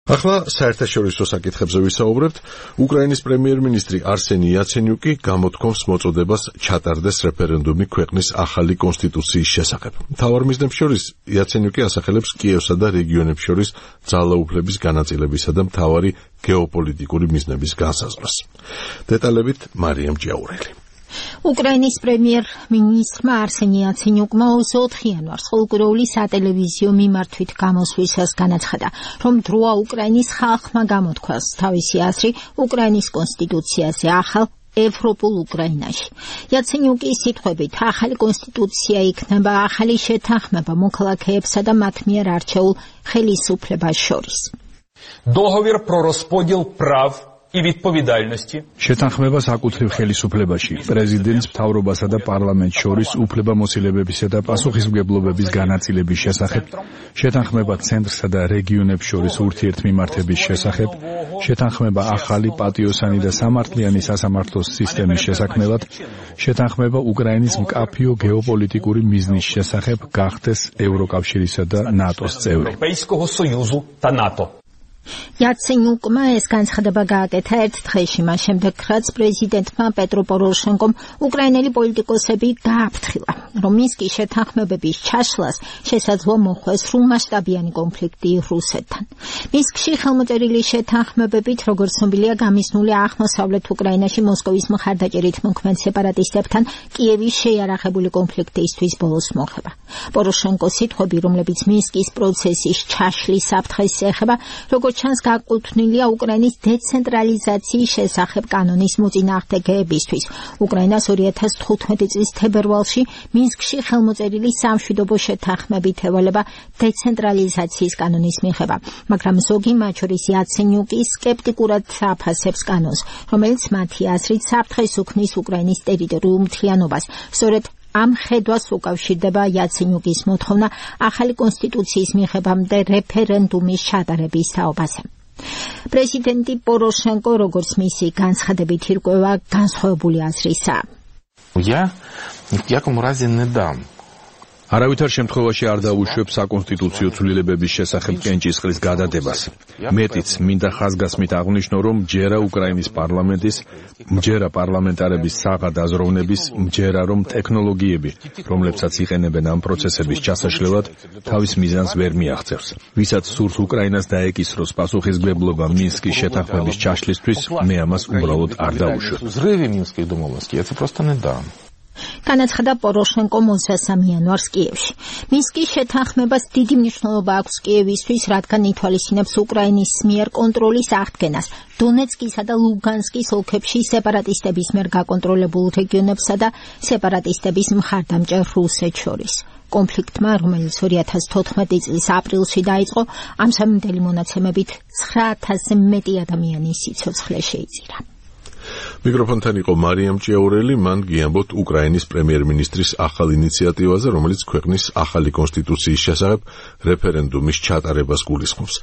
ახლა საერთაშორისო საკითხებზე ვისაუბრებთ. უკრაინის პრემიერ-მინისტრი არსენი იაცენიუკი გამოთქვამს მოწოდებას ჩატარდეს რეფერენდუმი ქვეყნის ახალი კონსტიტუციის შესახებ. მთავარ მიზნებს შორის იაცენიუკი ასახელებს კიევსა და რეგიონებს შორის ძალაუფლების განაწილებისა და მთავარი გეოპოლიტიკური მიზნების განსაზღვრას. დეტალებით მარიამ ჭიაურელი. უკრაინის პრემიერ-მინისტრმა არსენი იაცენიუკმა 24 იანვარს ხოლმე სატელევიზიო მიმართვით გამოსვლისას განაცხადა, რომ დროა უკრაინის ხალხმა გამოთქვას თავისი აზრი უკრაინის კონსტიტუციაზე ახალ ევროპულ უკრაინაში. იაცენიუკის სიტყვებით, ახალი კონსტიტუცია იქნება ახალი შეთანხმება მოქალაქეებსა და მათ მიერ არჩეულ ხელისუფლებას შორის. Договір про розподіл прав і відповідальності. შეთანხმება საკუთრივ ხელისუფლებაში, პრეზიდენტს, მთავრობასა და პარლამენტს შორის უფლებამოსილებებისა და პასუხისმგებლობების განაწილების შესახებ, შეთანხმება ცენტრსა და რეგიონებს შორის ურთიერთმიმართების შესახებ, შეთანხმება ახალი პატიოსანი და სამართლიანი სასამართლოს სისტემის შესაქმნელად, შეთანხმება უკრაინის მკაფიო გეოპოლიტიკური მიზნის შესახებ გახდეს ევროკავშირისა და ნატოს წევრი. Європейського Союзу та НАТО. იაცენიუკმა ეს განცხადება გააკეთა ერთ დღეში, მას შემდეგ, რაც პრეზიდენტმა პეტრო პოროშენკომ უკრაინელი პოლიტიკოსები გააფრთხილა, რომ მინსკის შეთანხმებების ჩაშლას შესაძლოა მოხვდეს სრულმასშტაბიანი კონფლიქტი რუსეთთან. მინსკში ხელმოწერილი შეთანხმებებით, როგორც ცნობილია, გამიზნული აღმოსავლეთ უკრაინაში მოსკოვის მხარდაჭერით მოქმედ სეპარატისტებთან კიევის შეიარაღებული კონფლიქტისთვის ბოლოს მოხება. პოროშენკოს სიტყვები, რომლებიც მინსკის პროცესის ჩაშლის საფრთხეს ეხება, როგორც ჩანს გაკუთვნილია უკრაინის დეცენტრალიზაციის შესახებ კანონის მოწინააღმდეგეებისთვის. უკრაინას 2015 წლის თებერვალში მინსკში ხელმოწერილი სამშვიდობო შეთანხმებით ევალება დეცენტრალიზაციის კანონის მიღება, მაგრამ ზოგი, მათ შორის იაცენიუკი, სკეპტიკურად აფასებს კანონს, რომელიც მათი აზრით საფრთხეს უქმნის უკრაინის ტერიტორიულ მთლიანობას. სწორედ ამ ხედვას უკავშირდება იაცენიუკის მოთხოვნა ახალი კონსტიტუციის მიღებამდე რეფერენდუმის ჩატარების თაობაზე. პრეზიდენტი პოროშენკო, როგორც მისი განცხადებით ირკვევა, განსხვავებული აზრისაა. Я ни в яком разе не дам. არავითარ შემთხვევაში არ დაუშვებ საკონსტიტუციო ცვლილებების შესახებ კენჭისყრის გადადებას. მეტიც, მინდა ხაზგასმით აღვნიშნო, რომ მჯერა უკრაინის პარლამენტის, მჯერა პარლამენტარების საღად აზროვნების, მჯერა რომ ტექნოლოგიები, რომლებსაც იყენებენ ამ პროცესების ჩასაშლელად, თავის მიზანს ვერ მიაღწევს. ვისაც სურს უკრაინას დაეკისროს პასუხისმგებლობა მინსკის შეთანხმების ჩაშლისთვის, მე ამას უბრალოდ არ დაუშვებ. Взрыве Минских домовленностей я это просто не дам. განაცხადა პოროშენკო 23 იანვარს კიევში. მინსკის შეთანხმებას დიდი მნიშვნელობა აქვს კიევისთვის, რადგან ითვალისწინებს უკრაინის მიერ კონტროლის აღდგენას დონეცკისა და ლუგანსკის ოლქებში სეპარატისტების მიერ გაკონტროლებულ რეგიონებსა და სეპარატისტების მხარდამჭერ რუსეთს შორის. კონფლიქტმა, რომელიც 2014 წლის აპრილში დაიწყო, ამ სამედელი მონაცემებით 9000-ზე მეტი ადამიანის სიცოცხლე შეიწირა. მიკროფონთან იყო მარიამ ჭიაურელი, მან გიამბოთ უკრაინის პრემიერ-მინისტრის ახალ ინიციატივაზე, რომელიც ქვეყნის ახალი კონსტიტუციის შესახებ რეფერენდუმის ჩატარებას გულისხმობს.